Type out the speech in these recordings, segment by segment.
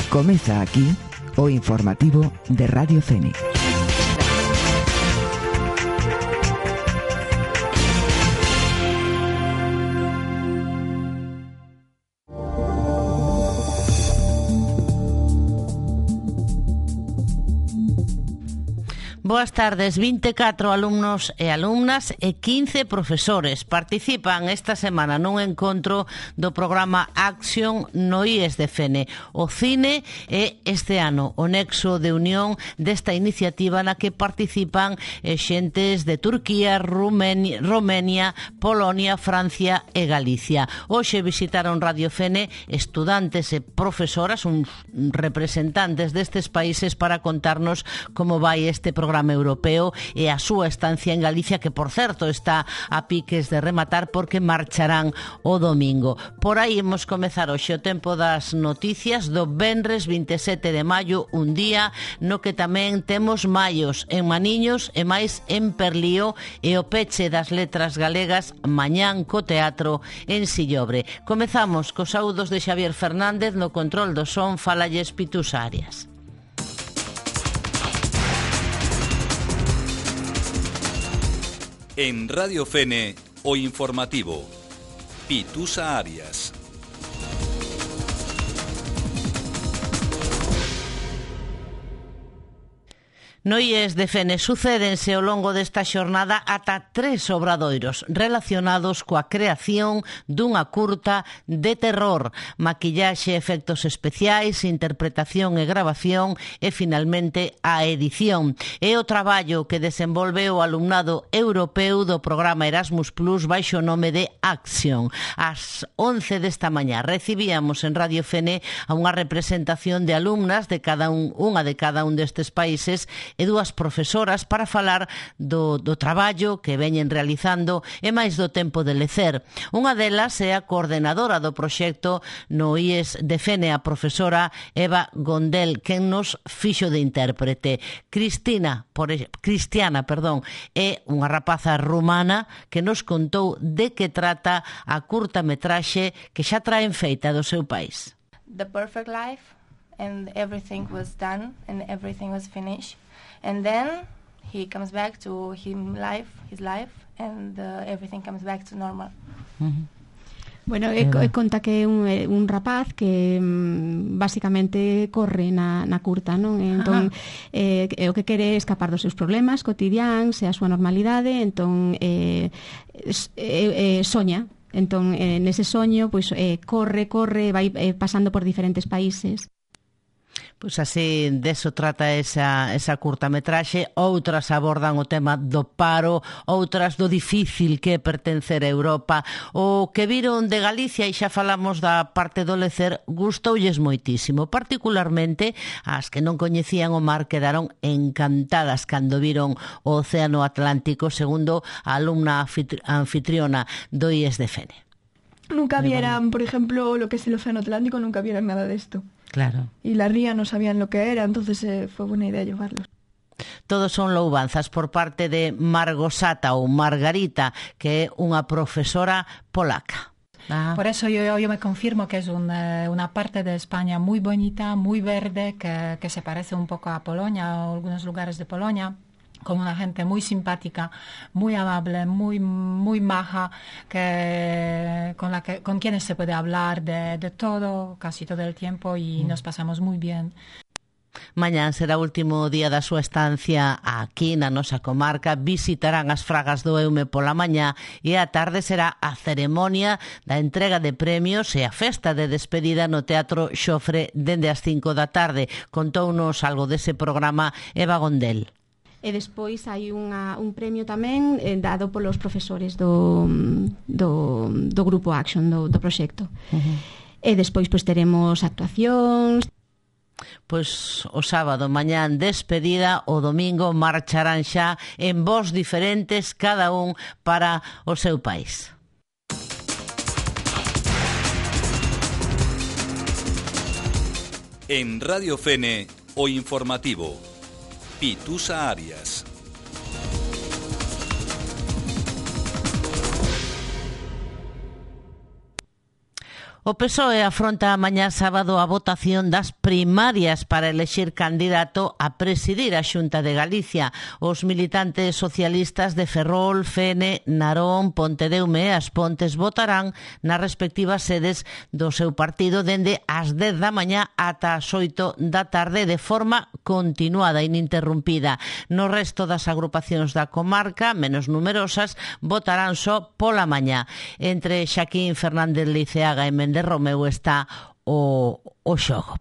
Comeza aquí o informativo de Radio Fene. Boas tardes, 24 alumnos e alumnas e 15 profesores participan esta semana nun encontro do programa Action no IES de Fene. O cine é este ano o nexo de unión desta iniciativa na que participan xentes de Turquía, Romania, Polonia, Francia e Galicia. Hoxe visitaron Radio Fene estudantes e profesoras, uns representantes destes países para contarnos como vai este programa europeo e a súa estancia en Galicia, que por certo está a piques de rematar porque marcharán o domingo. Por aí imos comezar hoxe o tempo das noticias do venres 27 de maio, un día no que tamén temos maios en Maniños e máis en Perlío, e o peche das letras galegas mañán co teatro en Sillobre. Comezamos cos saúdos de Xavier Fernández, no control do son falalles Pitusa Arias. En Radio Fene, o informativo. Pitusa Arias. No IES de Fene sucédense ao longo desta xornada ata 3 obradoiros relacionados coa creación dunha curta de terror, maquillaxe, efectos especiais, interpretación e grabación e, finalmente, a edición. É o traballo que desenvolve o alumnado europeu do programa Erasmus Plus baixo o nome de Action. Ás 11 desta mañá recibíamos en Radio Fene a unha representación de alumnas de unha de cada un destes países e dúas profesoras para falar do traballo que veñen realizando e máis do tempo de lecer. Unha delas é a coordenadora do proxecto no IES de Fene, a profesora Eva Gondel, que nos fixo de intérprete. Cristiana, é unha rapaza rumana que nos contou de que trata a curtametraxe que xa traen feita do seu país. The perfect life, and everything was done and everything was finished. And then he comes back to his life, and everything comes back to normal. Uh-huh. Bueno, conta que é un rapaz que basicamente corre na curta, non? Entón, o que quere é escapar dos seus problemas cotidiáns e a súa normalidade, entón soña. Entón, nese soño, pois corre, vai pasando por diferentes países. Pois así, deso trata esa curtametraxe. Outras abordan o tema do paro, outras do difícil que é pertencer a Europa. O que viron de Galicia, e xa falamos da parte do lecer, gustoulles moitísimo. Particularmente, as que non coñecían o mar quedaron encantadas cando viron o Océano Atlántico, segundo a alumna anfitriona do IES de Fene. Nunca vieran, por ejemplo, lo que es el Océano Atlántico, nunca vieran nada de esto. Claro. Y la ría no sabían lo que era, entonces fue buena idea llevarlos. Todos son loubanzas por parte de Margosata ou Margarita, que é unha profesora polaca. Por eso yo me confirmo que es una parte de España muy bonita, muy verde, que se parece un poco a Polonia, a algunos lugares de Polonia, con una gente muy simpática, muy amable, muy maja, con quienes se puede hablar de todo, casi todo el tiempo, y nos pasamos muy bien. Mañán será o último día da súa estancia aquí na nosa comarca. Visitarán as Fragas do Eume pola mañá e a tarde será a ceremonia da entrega de premios e a festa de despedida no Teatro Xofre dende as 5 da tarde. Contounos algo dese programa Eva Gondel. E despois hai un premio tamén dado polos profesores do grupo Action, do proxecto. Uh-huh. E despois teremos actuacións. Pois o sábado mañán despedida, o domingo marcharán xa en voos diferentes, cada un para o seu país. En Radio Fene, o informativo. Pitusa Arias. O PSOE afronta mañá sábado a votación das primarias para elexir candidato a presidir a Xunta de Galicia. Os militantes socialistas de Ferrol, Fene, Narón, Pontedeume e As Pontes votarán nas respectivas sedes do seu partido dende as 10 da mañá ata as 8 da tarde de forma continuada e ininterrumpida. No resto das agrupacións da comarca, menos numerosas, votarán só pola mañá. Entre Xaquín Fernández Liceaga e Méndez Romeu está o xogo.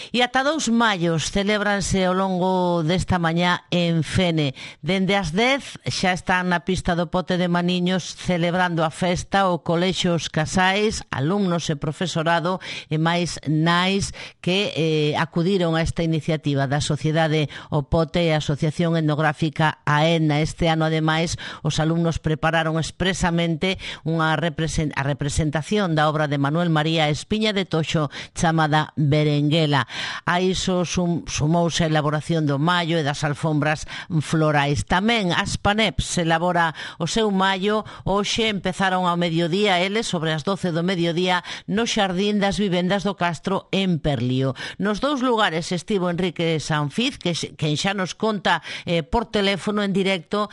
E ata 2 maios celébranse ao longo desta mañá en Fene. Dende as 10 xa están na pista do Pote de Maniños celebrando a festa o colexio Os Casais, alumnos e profesorado e máis nais que acudiron a esta iniciativa da Sociedade O Pote e a Asociación Etnográfica AENA. Este ano, ademais, os alumnos prepararon expresamente a representación da obra de Manuel María Espiña de Toxo chamada Berenguela. A iso sumouse a elaboración do mallo e das alfombras florais. Tamén as Paneps elabora o seu mallo. Hoxe empezaron ao mediodía, eles, sobre as 12 do mediodía, no Xardín das Vivendas do Castro en Perlío. Nos dous lugares estivo Enrique Sanfiz, que xa nos conta por teléfono en directo,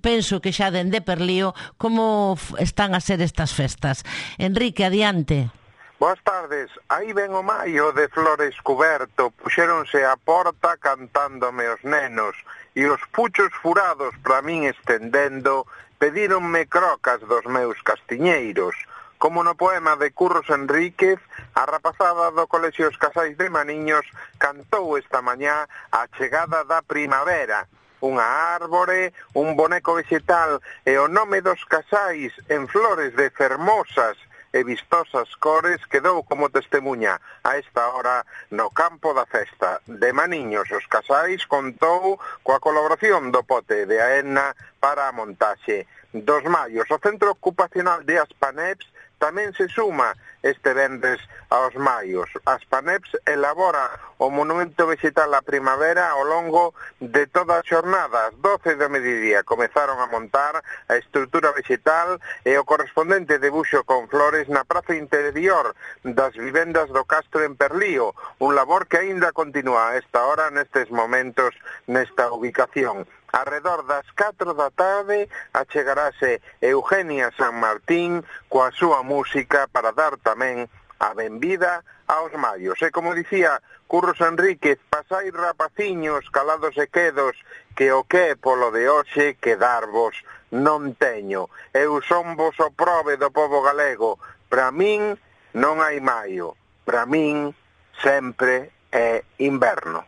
penso que xa dende Perlío, como están a ser estas festas. Enrique, adiante. Boas tardes. Aí ven o maio de flores cuberto, puxéronse á porta cantándome os nenos, e os puchos furados para min estendendo, pedíronme crocas dos meus castiñeiros. Como no poema de Curros Enríquez, a rapazada do Colexio Os Casais de Maniños cantou esta mañá a chegada da primavera. Unha árbore, un boneco vegetal e o nome dos casais en flores de fermosas e vistosas cores quedou como testemunha a esta hora no campo da festa de Maniños. Os Casais contou coa colaboración do Pote de AENA para a montaxe dos maios. O Centro Ocupacional de As Paneps tamén se suma este venres aos maios. As Paneps elabora o monumento vegetal á primavera ao longo de toda a xornada. As 12 do mediodía comezaron a montar a estrutura vegetal e o correspondente debuxo con flores na praza interior das vivendas do Castro en Perlío, un labor que aínda continúa a esta hora, nestes momentos, nesta ubicación. Arredor das 4 da tarde achegarase Eugenia San Martín coa súa música para dar tamén a benvida aos maios. E como dicía Curros Enríquez, pasai rapaciños calados e quedos, que o que polo de hoxe quedarvos non teño. Eu son vos o prove do pobo galego. Para min non hai maio. Para min sempre é inverno.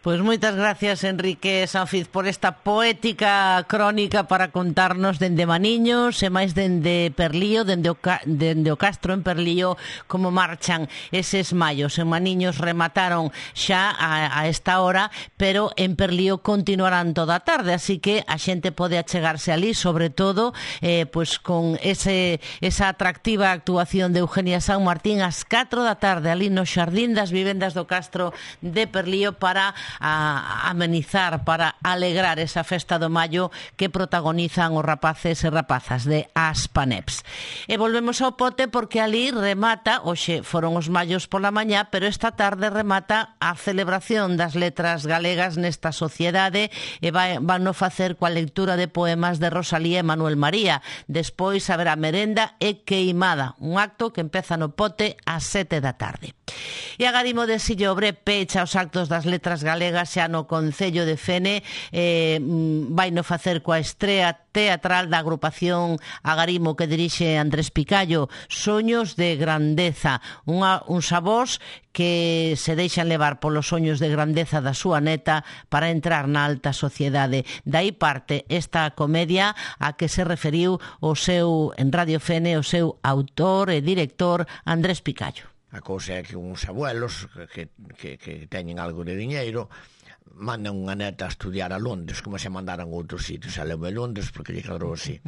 Pois moitas gracias, Enrique Sanfiz, por esta poética crónica para contarnos dende Maniños e máis dende Perlío, dende o Castro en Perlío, como marchan eses maios. En Maniños remataron xa a esta hora, pero en Perlío continuarán toda a tarde, así que a xente pode achegarse ali, sobre todo pois con esa atractiva actuación de Eugenia San Martín ás 4 da tarde ali no Xardín das Vivendas do Castro de Perlío para a amenizar, para alegrar esa festa do maio que protagonizan os rapaces e rapazas de As Paneps. E volvemos ao Pote porque ali remata, hoxe foron os maios pola mañá, pero esta tarde remata a celebración das letras galegas nesta sociedade e van a facer coa lectura de poemas de Rosalía e Manuel María. Despois haberá merenda e queimada, un acto que empeza no Pote ás 7 da tarde. E Agarimo de Sillobre pecha os actos das letras galegas xa no Concello de Fene, vai no facer coa estrea teatral da agrupación Agarimo que dirixe Andrés Picallo, Soños de Grandeza, uns avós que se deixan levar polos soños de grandeza da súa neta para entrar na alta sociedade. Dai parte esta comedia a que se referiu en Radio Fene o seu autor e director Andrés Picallo. A cousa é que uns abuelos que teñen algo de diñeiro mandan unha neta a estudiar a Londres, como se mandaran a outros sitios. A levou a Londres porque lle cadrou así.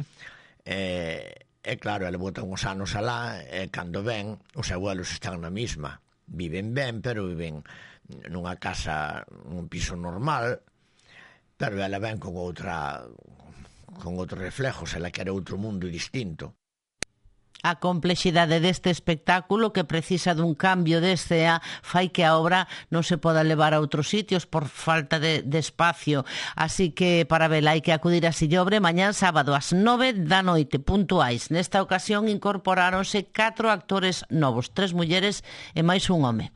E claro, ele bota uns anos alá, e cando ven, os abuelos están na mesma. Viven ben, pero viven nunha casa, nun piso normal, pero ela ven con outros reflejos, ela quere outro mundo distinto. A complexidade deste espectáculo, que precisa dun cambio de escena, fai que a obra non se poda levar a outros sitios por falta de espacio. Así que para vela hai que acudir a Sillobre mañán sábado ás 9 da noite, puntuais. Nesta ocasión incorporáronse 4 actores novos, 3 mulleres e máis un home.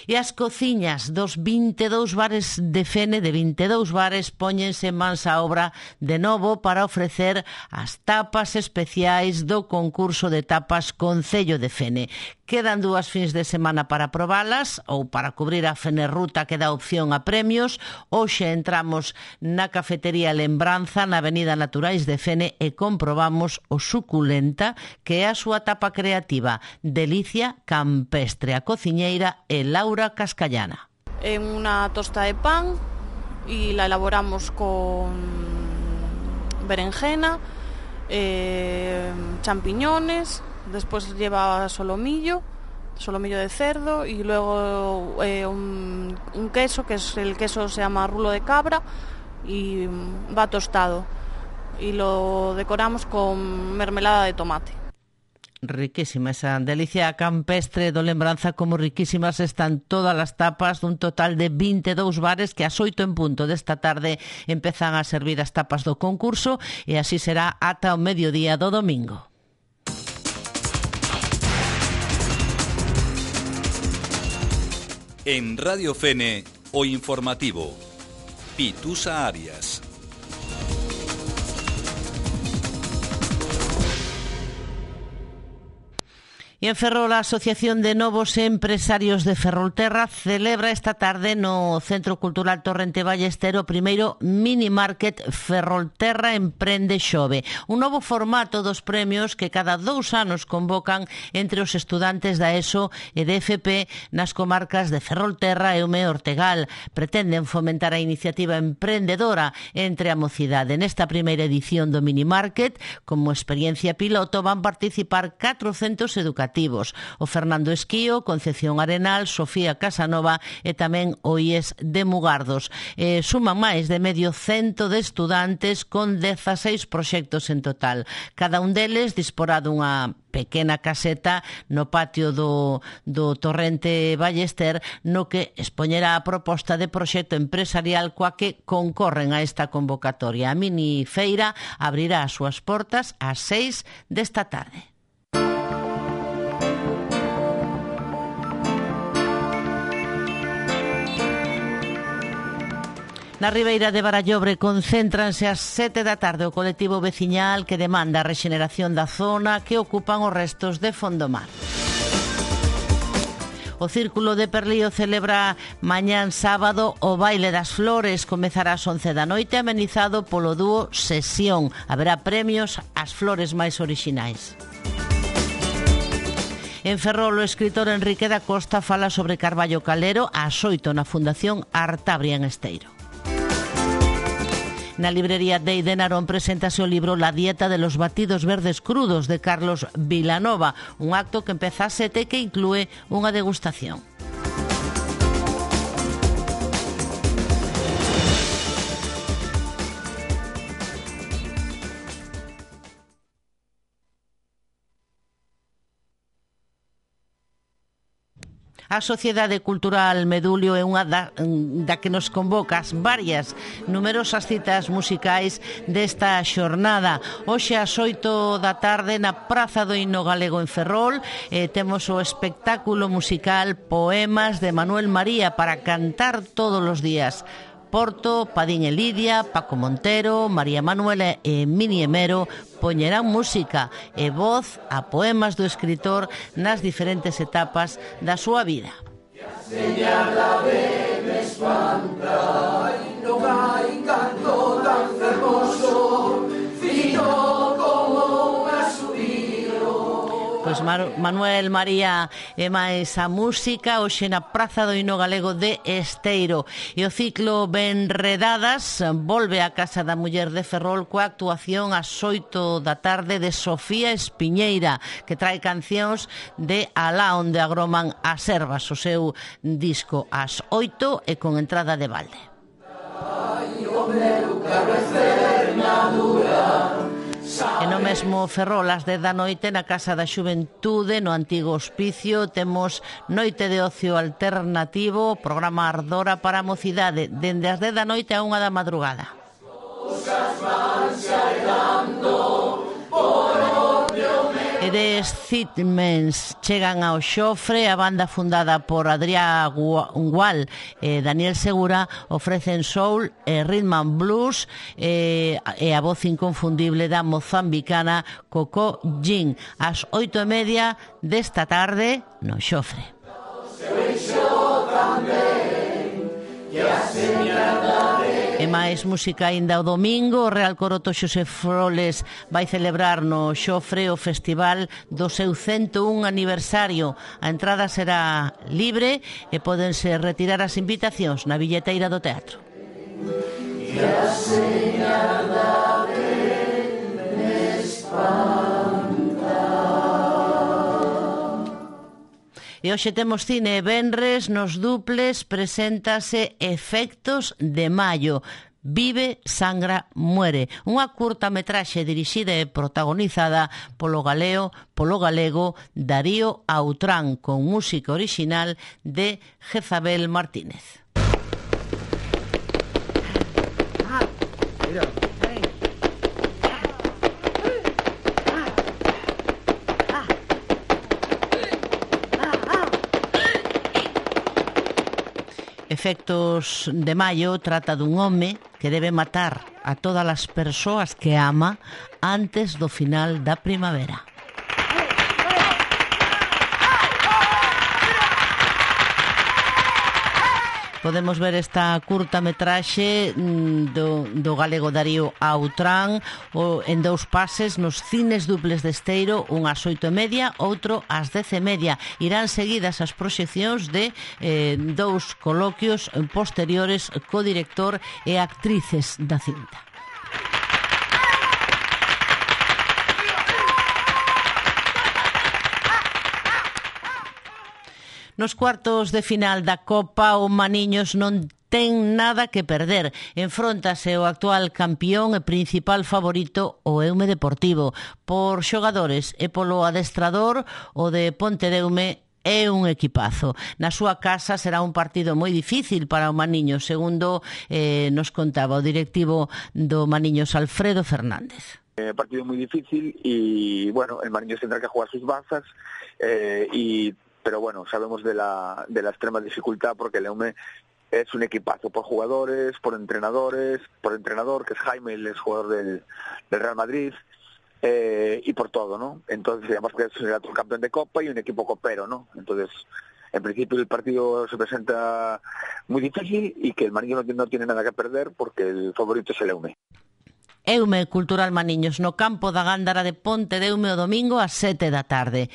E as cociñas dos 22 bares de Fene, de 22 bares, póñense mans á obra de novo para ofrecer as tapas especiais do concurso de tapas Concello de Fene. Quedan 2 fins de semana para probalas ou para cubrir a Fenerruta, que dá opción a premios. Hoxe entramos na cafetería Lembranza na Avenida Naturais de Fene e comprobamos o suculenta que é a súa tapa creativa, Delicia Campestre, a cociñeira e Laura Cascallana. En una tosta de pan y la elaboramos con berenjena, champiñones, después lleva solomillo de cerdo y luego un queso, que es el queso se llama rulo de cabra y va tostado y lo decoramos con mermelada de tomate. Riquísima esa Delicia Campestre do Lembranza, como riquísimas están todas as tapas dun total de 22 bares que ás 8 en punto desta tarde empezan a servir as tapas do concurso e así será ata o mediodía do domingo. En Radio Fene, o informativo. Pitusa Arias. E en Ferrol, a Asociación de Novos Empresarios de Ferrolterra celebra esta tarde no Centro Cultural Torrente Ballester o primeiro mini market Ferrolterra Emprende Xove, un novo formato dos premios que cada 2 anos convocan entre os estudantes da ESO e de FP nas comarcas de Ferrolterra e Ume Ortegal. Pretenden fomentar a iniciativa emprendedora entre a mocidade. Nesta primeira edición do mini market, como experiencia piloto, van participar 400 educativos. O Fernando Esquío, Concepción Arenal, Sofía Casanova e tamén o IES de Mugardos. Suman máis de medio cento de estudantes con 16 proxectos en total. Cada un deles disporá dunha pequena caseta no patio do Torrente Ballester, no que expoñerá a proposta de proxecto empresarial coa que concorren a esta convocatoria. A mini feira abrirá as súas portas ás 6 desta tarde. Na Ribeira de Barallobre concéntranse ás 7 da tarde o colectivo veciñal que demanda a rexeneración da zona que ocupan os restos de Fondomar. O Círculo de Perlío celebra mañán sábado o Baile das Flores. Comezará ás 11 da noite, amenizado polo dúo Sesión. Haberá premios ás flores máis orixinais. En Ferrol, o escritor Enrique da Costa fala sobre Carballo Calero ás 8 na Fundación Artabria en Esteiro. Na librería Dei de Narón preséntase o libro La dieta de los batidos verdes crudos de Carlos Vilanova, un acto que empeza ás 7 e que inclúe unha degustación. A Sociedade Cultural Medulio é unha da que nos convoca as varias numerosas citas musicais desta xornada. Hoxe ás 8 da tarde na Praza do Himno Galego en Ferrol temos o espectáculo musical Poemas de Manuel María para cantar todos os días. Porto, Padín e Lidia, Paco Montero, María Manuela e Mini Emero poñerán música e voz a poemas do escritor nas diferentes etapas da súa vida. Pois Manuel María e máis a música hoxe na Praza do Himno Galego de Esteiro. E o ciclo Benredadas volve á Casa da Muller de Ferrol coa actuación ás 8 da tarde de Sofía Espiñeira, que trae cancións de Alá onde agroman as ervas, o seu disco ás 8 e con entrada de balde. E E no mesmo Ferrol, ás 10 da noite, na Casa da Xuventude, no antigo hospicio, temos Noite de Ocio Alternativo, programa Ardora para a mocidade, dende as 10 da noite a 1 da madrugada. E de Sitmens chegan ao Xofre, a banda fundada por Adrià Gual e Daniel Segura ofrecen soul e rhythm and blues e a voz inconfundible da mozambicana Coco Jean ás 8:30 desta tarde no Xofre. E máis música aínda o domingo, o Real Coroto Xosé Froles vai celebrar no Xofre o festival do seu 101 aniversario. A entrada será libre e pódense retirar as invitacións na billeteira do teatro. E hoxe temos cine e venres, nos duples preséntase Efectos de Maio. Vive, sangra, muere. Unha curtametraxe dirixida e protagonizada polo galego Darío Autrán, con música orixinal de Jezabel Martínez. Efectos de Maio trata dun home que debe matar a todas as persoas que ama antes do final da primavera. Podemos ver esta curtametraxe do galego Darío Autrán en dous pases nos cines duples de Esteiro, un ás 8:30, outro ás 10:30. Irán seguidas as proxeccións de dous coloquios posteriores co director e actrices da cinta. Nos cuartos de final da Copa, o Maniños non ten nada que perder. Enfróntase o actual campeón e principal favorito, o Eume Deportivo. Por xogadores e polo adestrador, o de Pontedeume é un equipazo. Na súa casa será un partido moi difícil para o Maniños, segundo nos contaba o directivo do Maniños, Alfredo Fernández. Partido moi difícil e, bueno, el Maniños tendrá que jugar sus bazas pero bueno, sabemos de la extrema dificultad porque el Eume es un equipazo por jugadores, por entrenador, que es Jaime, el exjugador del Real Madrid, y por todo, ¿no? Entonces, además que es el campeón de Copa y un equipo copero, ¿no? Entonces, en principio el partido se presenta muy difícil y que el Maniño no tiene nada que perder porque el favorito es el Eume. Eume Cultural Maniños no campo da Gándara de Pontedeume o domingo ás 7 da tarde.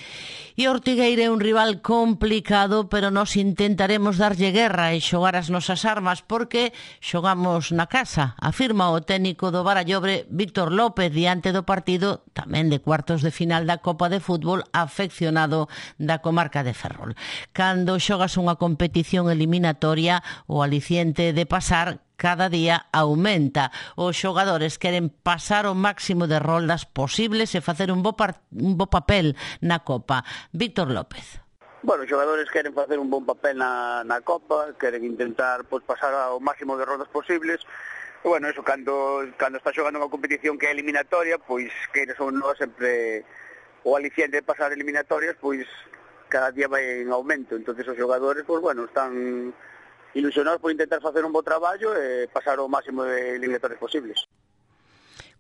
E Ortigueira é un rival complicado, pero nós intentaremos darlle guerra e xogar as nosas armas porque xogamos na casa, afirma o técnico do Barallobre Víctor López diante do partido tamén de cuartos de final da Copa de Fútbol afeccionado da comarca de Ferrol. Cando xogas unha competición eliminatoria, o aliciente de pasar cada día aumenta. Os xogadores queren pasar o máximo de roldas posibles e facer un bo papel na Copa. Víctor López. Bueno, os xogadores queren facer un bon papel na Copa, queren intentar pasar ao máximo de roldas posibles. E, bueno, eso, cando está xogando unha competición que é eliminatoria, pois queres ou non sempre o aliciente de pasar eliminatorias, pois cada día vai en aumento. Entonces os xogadores, pois, bueno, están ilusionados por intentar facer un bo traballo e pasar o máximo de eliminatorias posibles.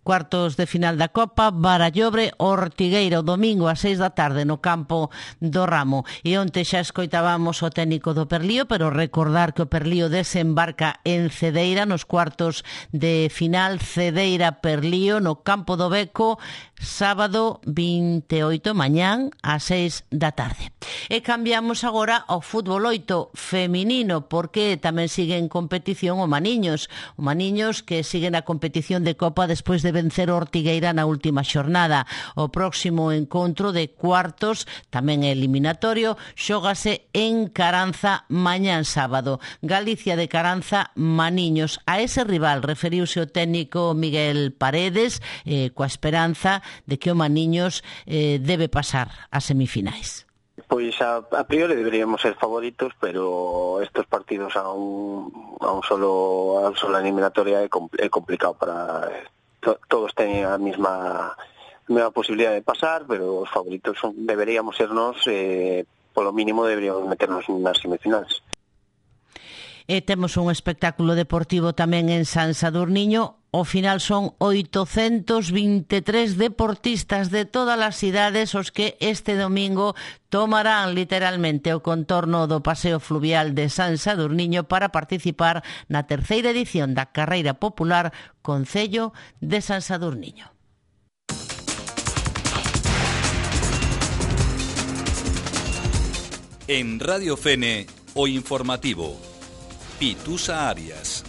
Cuartos de final da Copa, Barallobre, Ortigueira, o domingo ás 6 da tarde no campo do Ramo. E onte xa escoitábamos o técnico do Perlío, pero recordar que o Perlío desembarca en Cedeira nos cuartos de final, Cedeira-Perlío no campo do Beco, sábado 28, mañán ás 6 da tarde. E cambiamos agora ao fútbol 8 feminino, porque tamén sigue en competición o Maniños. O Maniños que sigue na competición de Copa despois de vencer o Ortigueira na última xornada. O próximo encontro de cuartos, tamén eliminatorio, xógase en Caranza mañán sábado. Galicia de Caranza, Maniños. A ese rival referiuse o técnico Miguel Paredes coa esperanza de que o Maniños debe pasar a semifinais. Pois a priori deberíamos ser favoritos, pero estos partidos a un solo eliminatoria é complicado para todos teñen a mesma posibilidad de pasar, pero os favoritos deberíamos sernos, polo mínimo deberíamos meternos nas semifinais. Temos un espectáculo deportivo tamén en San Sadurniño. Ao final son 823 deportistas de todas as idades os que este domingo tomarán literalmente o contorno do Paseo Fluvial de San Sadurniño para participar na terceira edición da Carreira Popular Concello de San Sadurniño. En Radio Fene, o informativo. Pitusa Arias.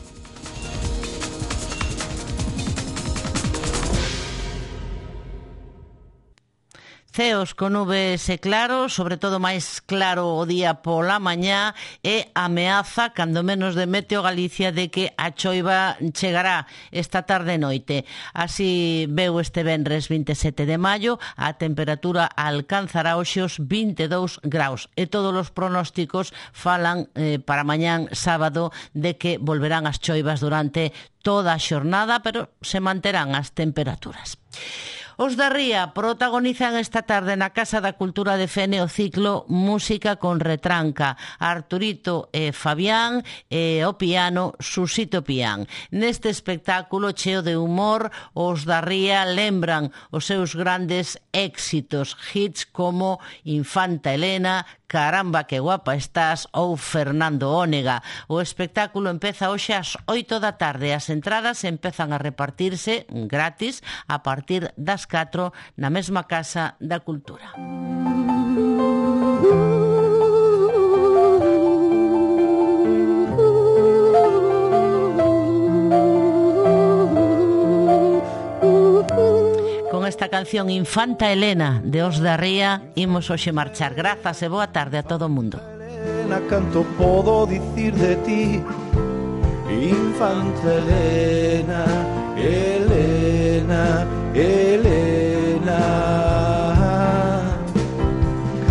Ceos con nubes e claros, sobre todo máis claro o día pola mañá, e ameaza, cando menos de Meteo Galicia, de que a choiva chegará esta tarde e noite. Así veu este venres 27 de maio, a temperatura alcanzará hoxe os 22 graus. E todos os pronósticos falan para mañán sábado de que volverán as choivas durante toda a xornada, pero se manterán as temperaturas. Os da Ría protagonizan esta tarde na Casa da Cultura de Fene o ciclo Música con Retranca. Arturito e Fabián e o piano Susito Pián. Neste espectáculo cheo de humor, os da Ría lembran os seus grandes éxitos, hits como Infanta Elena, Caramba que guapa estás ou Fernando Ónega. O espectáculo empeza hoxe ás 8 da tarde. As entradas empezan a repartirse gratis a partir das 4 na mesma Casa da Cultura. Con esta canción Infanta Elena de Os da Ría imos hoxe marchar. Grazas e boa tarde a todo o mundo. Elena, canto podo dicir de ti? Infanta Elena, Elena, Elena.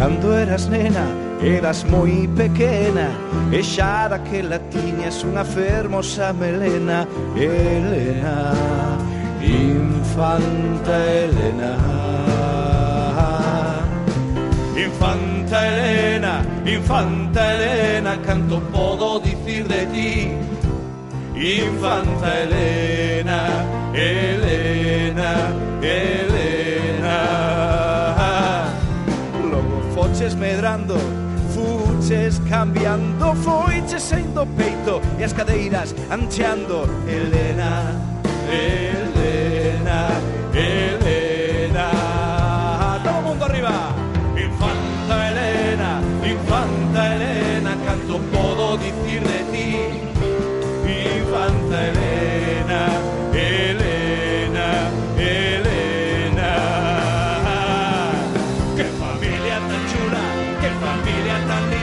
Cando eras nena, eras moi pequena, e xa daquela tiñas unha fermosa melena. Elena, Infanta Elena. Infanta Elena, Infanta Elena, canto podo dicir de ti? Infanta Elena, Elena, Elena. Logo foches medrando, fuches cambiando, foiches saindo peito e as cadeiras ancheando. Elena, Elena, Elena. Todo o mundo arriba. Infanta Elena, Infanta Elena, canto podo dicir de ti? Infanta Elena, Elena, Elena. Que familia tan chula, que familia tan linda.